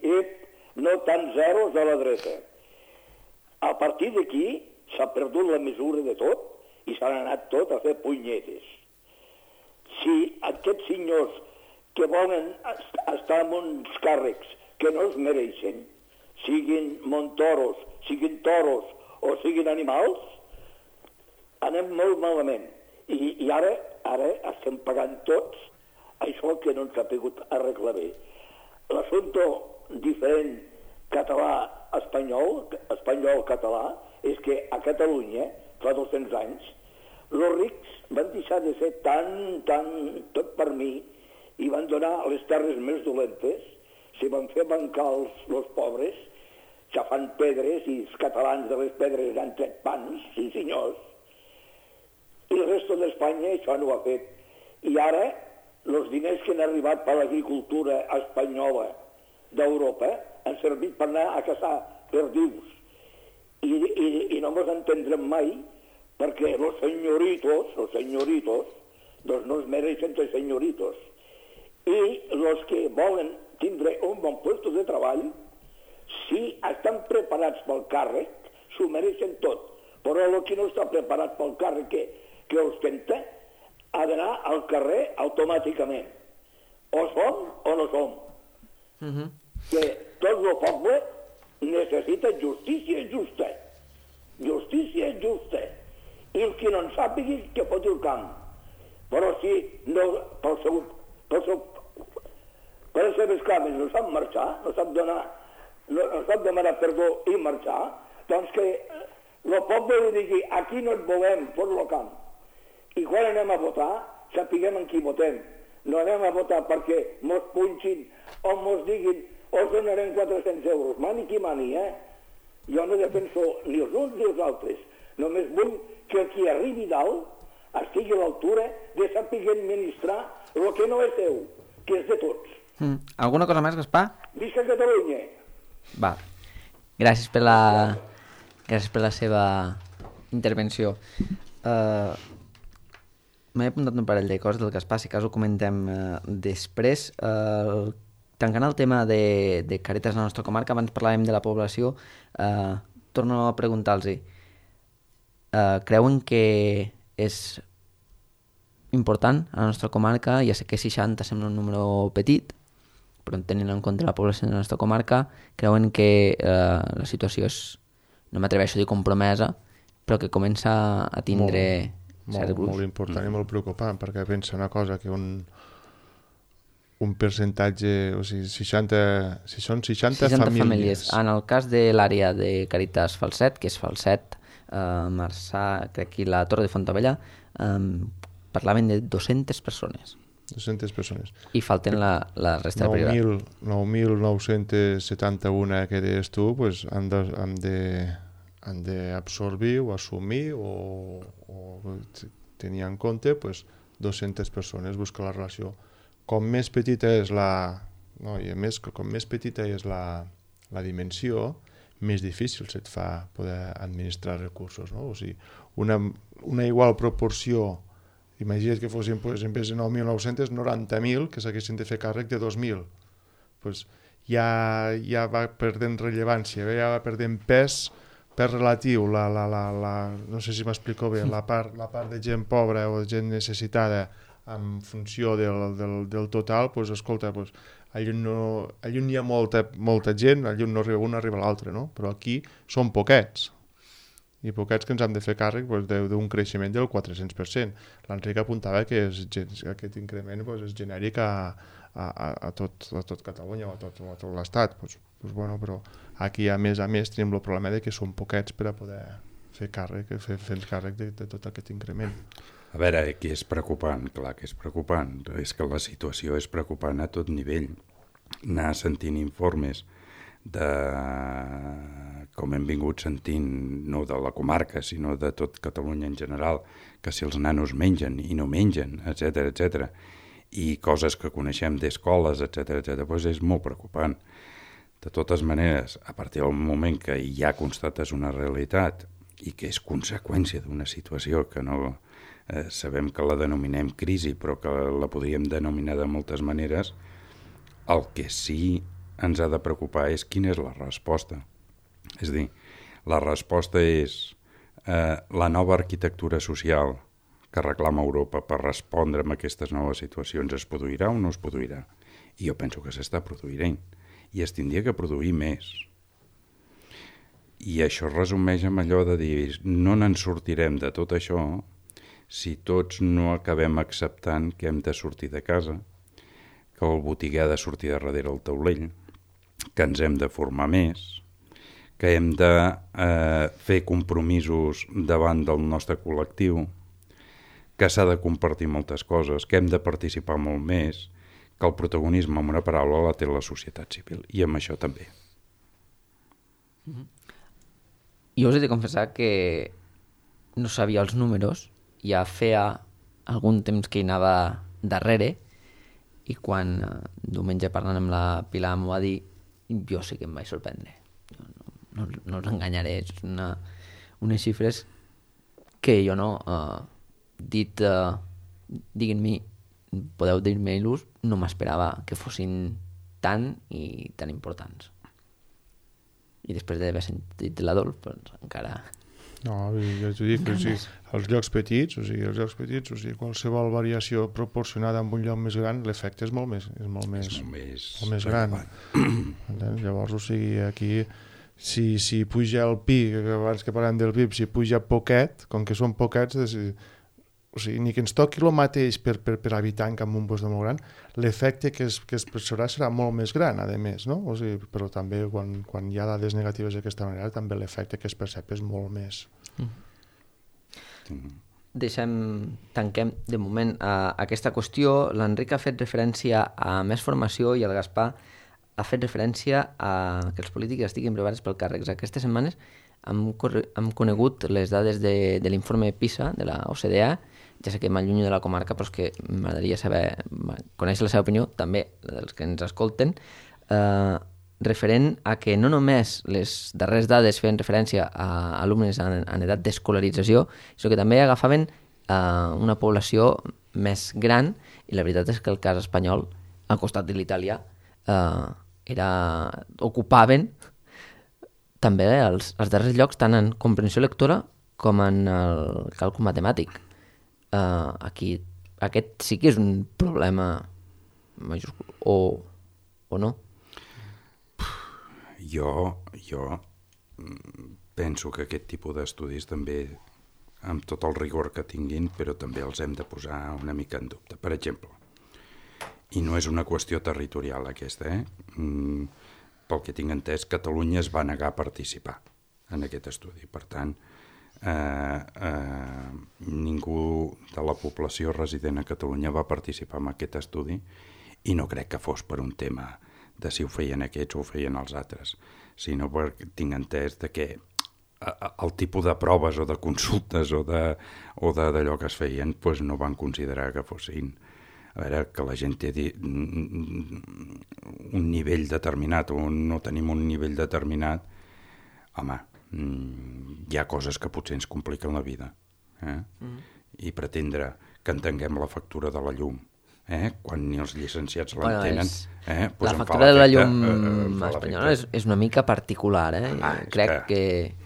no tant zeros a la dreta. A partir d'aquí s'ha perdut la mesura de tot i s'han anat tot a fer punyetes. Si aquests senyors que volen estar en uns càrrecs que no els mereixen, siguin montoros, siguin toros o siguin animals, anem molt malament. I ara estem pagant tots això que no ens ha pogut arreglar bé. L'assumpte diferent espanyol-català, és que a Catalunya, fa 200 anys, els rics van deixar de ser tan, tot per mi, i van donar les terres més dolentes, s'hi van fer bancar els pobres, xafant pedres, i els catalans de les pedres han tret pans, sí senyors, i el resto d'Espanya això no ho ha fet. I ara, els diners que han arribat per l'agricultura espanyola d'Europa han servit per anar a caçar perdius. I no ens entendrem mai perquè els senyoritos, doncs no es mereixen els senyoritos. I els que volen tindre un bon lloc de treball, si estan preparats pel càrrec, s'ho mereixen tot. Però el que no està preparat pel càrrec que ostenta ha d'anar al carrer automàticament. O som o no som. Que tot el poble necessita justícia justa. Justícia justa. I el que no en sàpigui que foti el camp. Però si no, per les seves cames no sap marxar, no sap demanar perdó i marxar, doncs que el poble li digui aquí no et volem, fot el camp. I quan anem a votar, sapiguem en qui votem. No anem a votar perquè mos punxin o mos diguin us donarem 400 euros. Mani qui mani, Jo no defenso ni els uns ni els altres. Només vull que el qui arribi dalt estigui a l'altura de saber administrar el que no és seu, que és de tots. Alguna cosa més, Gaspar? Visca Catalunya! Va. Gràcies per la seva intervenció. M'he apuntat un parell de coses del Gaspar, si cas ho comentem després. Tancant el tema de Càritas a la nostra comarca, abans parlàvem de la població, torno a preguntar-los, creuen que és important a la nostra comarca? Ja sé que 60 sembla un número petit, però tenint en compte la població de la nostra comarca, creuen que la situació és, no m'atreveixo a dir compromesa, però que comença a tindre certs grups. Molt important i molt preocupant, perquè pensa una cosa, que un percentatge, o sigui, si són 60 famílies. En el cas de l'àrea de Càritas Falset, que és Falset, Marçà, crec que la Torre de Fontabella, parlaven de 200 persones. 200 persones. I falten la resta de privat. 9.971 que deies tu, pues, han d'absorbir o assumir o tenir en compte pues, 200 persones, buscar la relació. Com més petita és com més petita és la dimensió, més difícil se't fa poder administrar recursos, no? O sigui, una igual proporció. Imagina't que fossin, pues, en vez de 9.990.000, que s'haguessin de fer càrrec de 2.000. Pues, ja va perdent rellevància, ja va perdent pes relatiu. No sé si m'explico bé, la part de gent pobra o de gent necessitada en funció del total, pues, escolta, pues, allà hi ha molta gent, allà no arriba un, arriba l'altre, no? Però aquí són poquets. I poquets que ens hem de fer càrrec d'un creixement del 400%. L'Enric apuntava que aquest increment és genèric a tot Catalunya o a tot l'Estat. Bueno, però aquí, a més, tenim el problema que són poquets per a poder fer càrrec de tot aquest increment. A veure, aquí és preocupant, clar que és preocupant. És que la situació és preocupant a tot nivell. Anar sentint informes com hem vingut sentint, no de la comarca, sinó de tot Catalunya en general, que si els nanos mengen i no mengen, etc, i coses que coneixem d'escoles, etc, doncs és molt preocupant. De totes maneres, a partir del moment que ja constates una realitat i que és conseqüència d'una situació que no sabem que la denominem crisi, però que la podríem denominar de moltes maneres. El que sí ens ha de preocupar és quina és la resposta. És a dir, la resposta és la nova arquitectura social que reclama Europa per respondre a aquestes noves situacions es produirà o no es produirà? I jo penso que s'està produint i es tindria que produir més. I això es resumeix amb allò de dir no n'en sortirem de tot això si tots no acabem acceptant que hem de sortir de casa, que el botiguer ha de sortir de darrere el taulell, que ens hem de formar més, que hem de fer compromisos davant del nostre col·lectiu, que s'ha de compartir moltes coses, que hem de participar molt més, que el protagonisme, amb una paraula, la té la societat civil, i amb això també. Jo us he de confessar que no sabia els números, ja feia algun temps que hi anava darrere, i quan diumenge parlant amb la Pilar m'ho va dir, jo sí que em vaig sorprendre. No us enganyaré, és unes xifres que jo no, diguin-me, podeu dir-me-los, no m'esperava que fossin tan i tan importants. I després d'haver sentit l'Adolf, doncs encara... No, ja t'ho dic, els llocs petits, qualsevol variació proporcionada amb un lloc més gran, l'efecte és molt més gran. Llavors, aquí, si puja el PIB, abans que parlem del PIB, si puja poquet, com que són poquets, ni que ens toqui el mateix per habitant que amb un lloc molt gran, l'efecte que es percebrà serà molt més gran, a més, no? Però també quan hi ha dades negatives d'aquesta manera, també l'efecte que es percep és molt més. Tanquem de moment aquesta qüestió. L'Enric ha fet referència a més formació i el Gaspar ha fet referència a que els polítics estiguin preparats pel càrrecs. Aquestes setmanes hem conegut les dades de l'informe PISA de la OCDE. Ja sé que m'allunyo de la comarca, però és que m'agradaria conèixer la seva opinió, també dels que ens escolten, referent a que no només les darreres dades feien referència a alumnes en edat d'escolarització, sinó que també agafaven una població més gran, i la veritat és que el cas espanyol, al costat de l'italià, ocupaven també els darrers llocs tant en comprensió lectora com en el càlcul matemàtic. Aquí aquest sí que és un problema majúscul o no? Jo penso que aquest tipus d'estudis també, amb tot el rigor que tinguin, però també els hem de posar una mica en dubte. Per exemple, i no és una qüestió territorial aquesta, pel que tinc entès, Catalunya es va negar a participar en aquest estudi. Per tant, ningú de la població resident a Catalunya va participar en aquest estudi i no crec que fos per un tema de si ho feien aquests o ho feien els altres, sinó perquè tinc entès de que el tipus de proves o de consultes o d'allò que es feien doncs no van considerar que fossin a veure, que la gent té un nivell determinat o no tenim un nivell determinat, home, hi ha coses que potser ens compliquen la vida. I pretendre que entenguem la factura de la llum, quan ni els llicenciats l'entenen... La factura de la llum espanyola és una mica particular. Crec que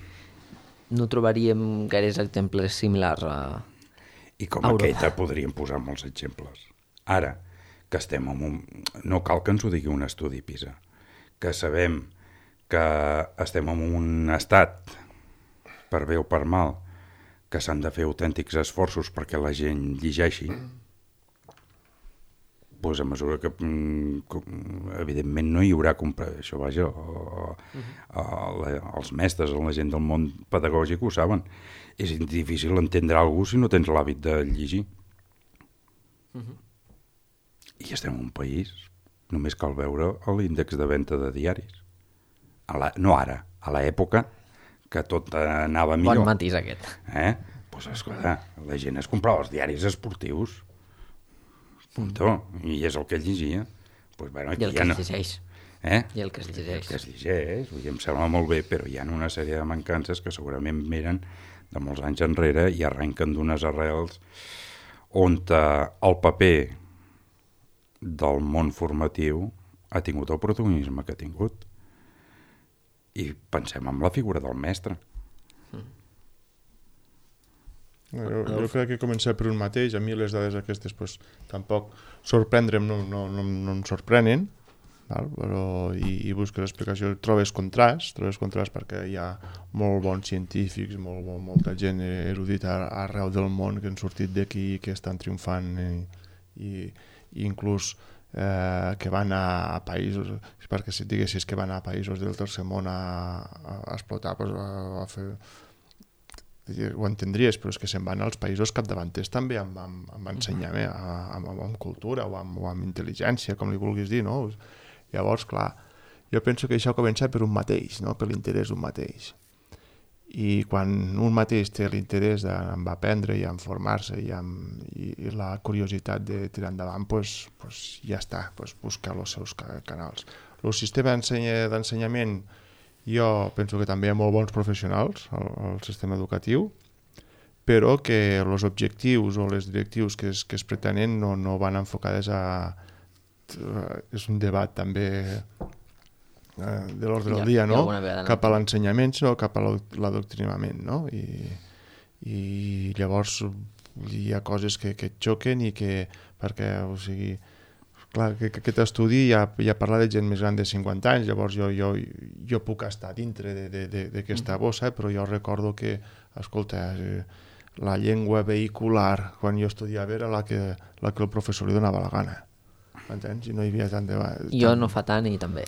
no trobaríem gaires exemples similars a I com aquesta podríem posar molts exemples. Ara, que estem en un... No cal que ens ho digui un estudi PISA, que sabem que estem en un estat, per bé o per mal, que s'han de fer autèntics esforços perquè la gent llegeixi, doncs a mesura que evidentment no hi haurà això, vaja, els mestres, la gent del món pedagògic ho saben. És difícil entendre algú si no tens l'hàbit de llegir. I estem en un país, només cal veure l'índex de venda de diaris. No ara, a l'època que tot anava millor. Bon matís aquest. Doncs esclar, la gent es comprava els diaris esportius, puntó, i és el que es llegia. I el que es llegeix. I el que es llegeix. Em sembla molt bé, però hi ha una sèrie de mancances que segurament venen de molts anys enrere i arrenquen d'unes arrels on el paper del món formatiu ha tingut el protagonisme que ha tingut. I pensem en la figura del mestre. Jo crec que començar per un mateix. A mi les dades aquestes pues, tampoc sorprendre'm no em sorprenen, però, i busques l'explicació, trobes contrast perquè hi ha molt bons científics, molta gent erudita arreu del món que han sortit d'aquí, que estan triomfant i inclús que van a països, perquè si et diguessis que van a països del tercer món a explotar, pues, a fer, ho entendries, però és que se'n van als països capdavanters també amb ensenyament, amb cultura o amb intel·ligència, com li vulguis dir, no? Llavors, clar, jo penso que això comença per un mateix, no? Per l'interès d'un mateix. I quan un mateix té l'interès en aprendre i en formar-se i la curiositat de tirar endavant, pues ja està, buscar els seus canals. El sistema d'ensenyament, jo penso que també hi ha molt bons professionals al sistema educatiu, però que els objectius o les directius que es pretenen no van enfocades a... És un debat també de l'ordre del dia, no? Cap a l'ensenyament, sinó cap a l'adoctrinament, no? I llavors hi ha coses que et xoquen i que, perquè, o sigui, clar, que aquest estudi ja parla de gent més gran de 50 anys, llavors jo puc estar dintre d'aquesta bossa, però jo recordo que, escolta, la llengua vehicular quan jo estudiava era la que el professor li donava la gana, m'entens? I no hi havia tant de... Jo no fa tant i també.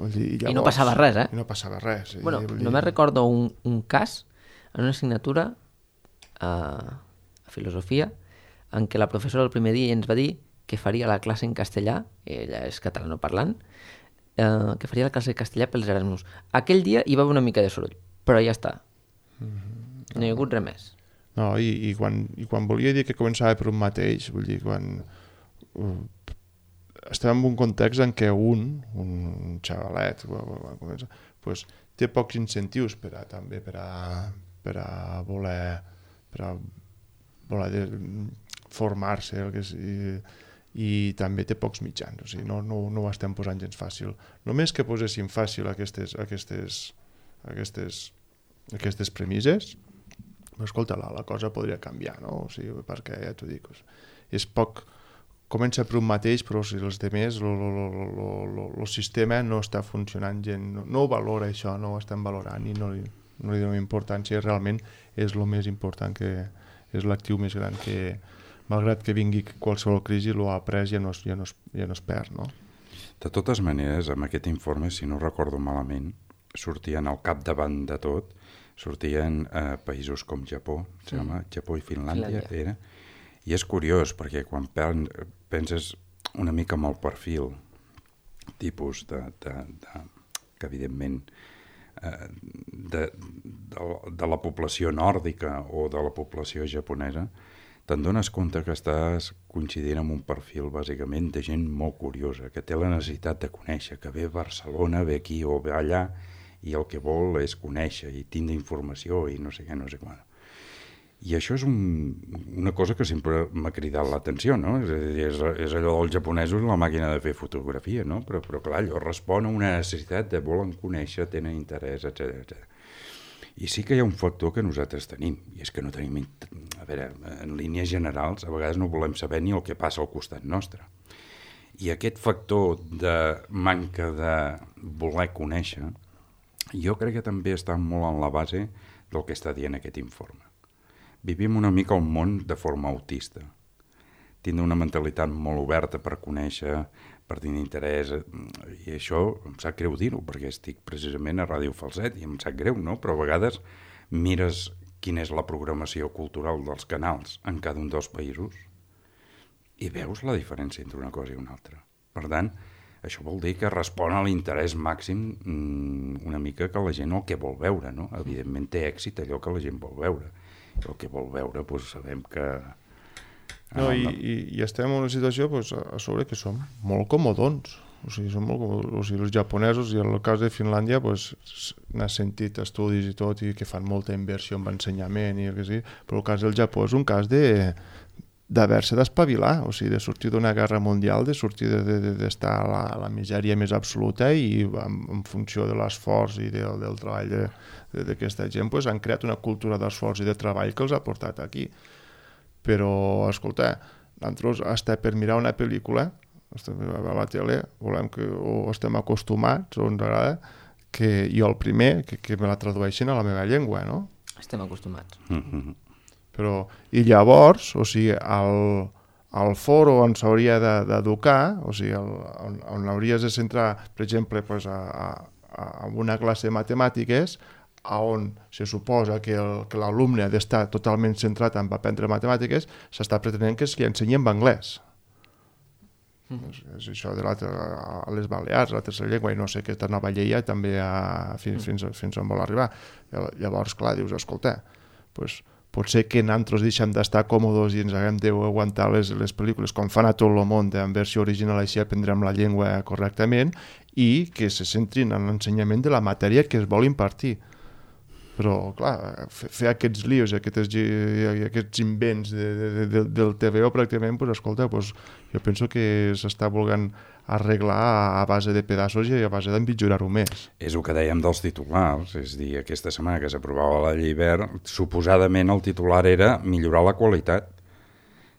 Llavors, I no passava res, eh? I no passava res. Bueno, només recordo un cas en una assignatura a filosofia en què la professora el primer dia ens va dir que faria la classe en castellà, ella és catalanoparlant, que faria la classe en castellà pels Erasmus. Aquell dia hi va haver una mica de soroll, però ja està. No hi ha hagut res més. No, i quan volia dir que començava per un mateix, vull dir, quan... estem en un context en què un xavalet pues, té pocs incentius per a voler formar-se i també té pocs mitjans, o sigui, no ho estem posant gens fàcil. Només que poséssim fàcil aquestes premisses, escolta, la cosa podria canviar, no? O sigui, perquè ja t'ho dic, és poc... Comença per un mateix, però si els altres, el sistema no està funcionant gent, no ho valora això, no ho estem valorant i no li donem importància, realment és el més important, que és l'actiu més gran que, malgrat que vingui qualsevol crisi, l'ho ha après i ja no es perd, no? De totes maneres, amb aquest informe, si no recordo malament, sortien al capdavant de tot, sortien països com Japó, Japó i Finlàndia, era. I és curiós, perquè quan penses una mica amb el perfil tipus que evidentment de la població nòrdica o de la població japonesa, te'n dones compte que estàs coincidint amb un perfil bàsicament de gent molt curiosa, que té la necessitat de conèixer, que ve a Barcelona, ve aquí o ve allà i el que vol és conèixer i tindre informació i no sé què, no sé quan. I això és una cosa que sempre m'ha cridat l'atenció, no? És allò dels japonesos, la màquina de fer fotografia, no? Però clar, allò respon a una necessitat de volen conèixer, tenen interès, etc. I sí que hi ha un factor que nosaltres tenim, i és que no tenim... A veure, en línies generals, a vegades no volem saber ni el que passa al costat nostre. I aquest factor de manca de voler conèixer, jo crec que també està molt en la base del que està dient aquest informe. Vivim una mica el món de forma autista. Tindre una mentalitat molt oberta per conèixer, per tenir interès, i això em sap greu dir-ho, perquè estic precisament a Ràdio Falset i em sap greu, no? Però a vegades mires quina és la programació cultural dels canals en cada un dels països i veus la diferència entre una cosa i una altra. Per tant, això vol dir que respon a l'interès màxim una mica que la gent el que vol veure, no? Evidentment té èxit allò que la gent vol veure. El que vol veure, doncs sabem que... No, i estem en una situació a sobre que som molt comodons. o sigui, són molt, o sigui, els japonesos, i en el cas de Finlàndia pues, n'ha sentit estudis i tot, i que fan molta inversió en ensenyament, i el que sí, però el cas del Japó és un cas d'haver-se d'espavilar, o sigui, de sortir d'una guerra mundial, de sortir d'estar a la misèria més absoluta, i en funció de l'esforç i del treball d'aquesta gent pues, han creat una cultura d'esforç i de treball que els ha portat aquí. Però, escolta, nosaltres, hasta per mirar una pel·lícula, a la tele, o estem acostumats, o ens agrada, que jo el primer, que me la tradueixin a la meva llengua, no? Estem acostumats. Però, i llavors, o sigui, al foro on s'hauria d'educar, o sigui, on hauries de centrar, per exemple, pues, a una classe de matemàtiques, on se suposa que l'alumne ha d'estar totalment centrat en aprendre matemàtiques, s'està pretenent que li ensenyi en anglès. És això de a les Balears, la tercera llengua, i no sé aquesta nova llei també fins on vol arribar. Llavors, clar, dius, escolta, pues, potser que nosaltres deixem d'estar còmodes i ens haguem d'aguantar les pel·lícules com fan a tot el món en versió original, així aprendrem la llengua correctament, i que se centrin en l'ensenyament de la matèria que es vol impartir. Però, clar, fer aquests lios i aquests invents del TVO pràcticament, pues, escolta, pues, jo penso que s'està volent arreglar a base de pedaços i a base d'empitjorar-ho més. És el que dèiem dels titulars, és a dir, aquesta setmana que s'aprovava la llei verd, suposadament el titular era millorar la qualitat,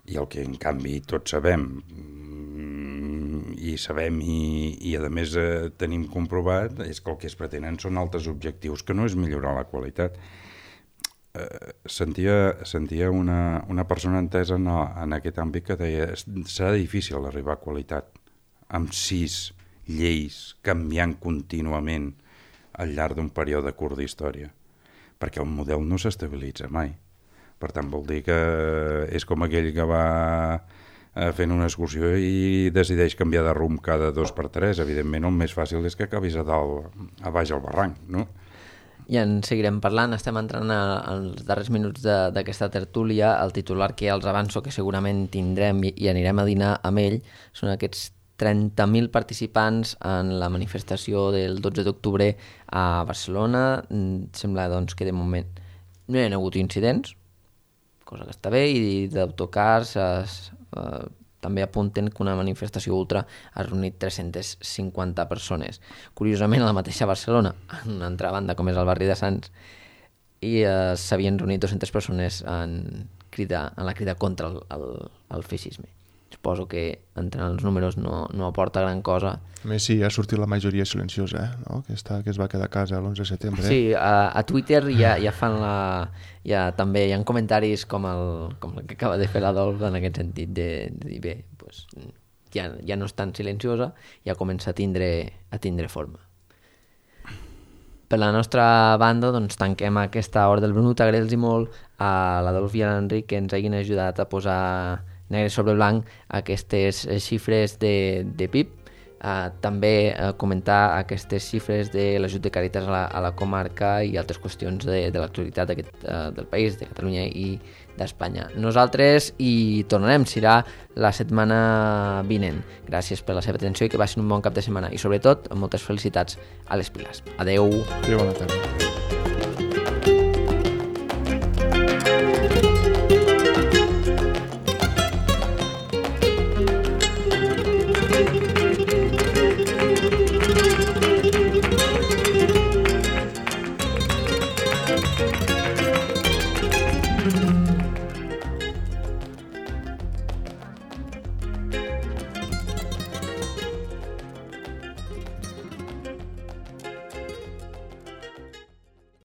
i el que en canvi tots sabem, i a més tenim comprovat, és que el que es pretenen són altres objectius, que no és millorar la qualitat. Sentia una persona entesa en aquest àmbit que deia serà difícil arribar a qualitat amb 6 lleis canviant contínuament al llarg d'un període curt d'història, perquè el model no s'estabilitza mai. Per tant, vol dir que és com aquell que va fent una excursió i decideix canviar de rumb cada 2x3. Evidentment, el més fàcil és que acabis a baix al barranc, no? I en seguirem parlant. Estem entrant als darrers minuts d'aquesta tertúlia. El titular que els avanço que segurament tindrem i anirem a dinar amb ell són aquests 30.000 participants en la manifestació del 12 d'octubre a Barcelona. Sembla doncs, que de moment no hi ha hagut incidents, cosa que està bé, i d'autocars també apunten que una manifestació ultra ha reunit 350 persones. Curiosament, a la mateixa Barcelona, en una altra banda, com és el barri de Sants, i s'havien reunit 200 persones en la crida contra el feixisme. Suposo que entre els números no aporta gran cosa. A més, sí, ha sortit la majoria silenciosa, no? que es va quedar a casa l'11 de setembre. Sí, a Twitter ja fan també hi ha comentaris com el que acaba de fer l'Adolf en aquest sentit, de dir, bé, pues, ja no és tan silenciosa, ja comença a tindre forma. Per la nostra banda, doncs, tanquem aquesta hora del Brunut. Agrair-los molt a l'Adolf i a l'Enric que ens hagin ajudat a posar negre sobre blanc aquestes xifres de PIB, també comentar aquestes xifres de l'ajut de Càritas a la comarca i altres qüestions de l'actualitat del país, de Catalunya i d'Espanya. Nosaltres hi tornarem, serà la setmana vinent. Gràcies per la seva atenció i que passin un bon cap de setmana, i sobretot moltes felicitats a les Piles. Adeu. Adéu, bona tarda. Thank you.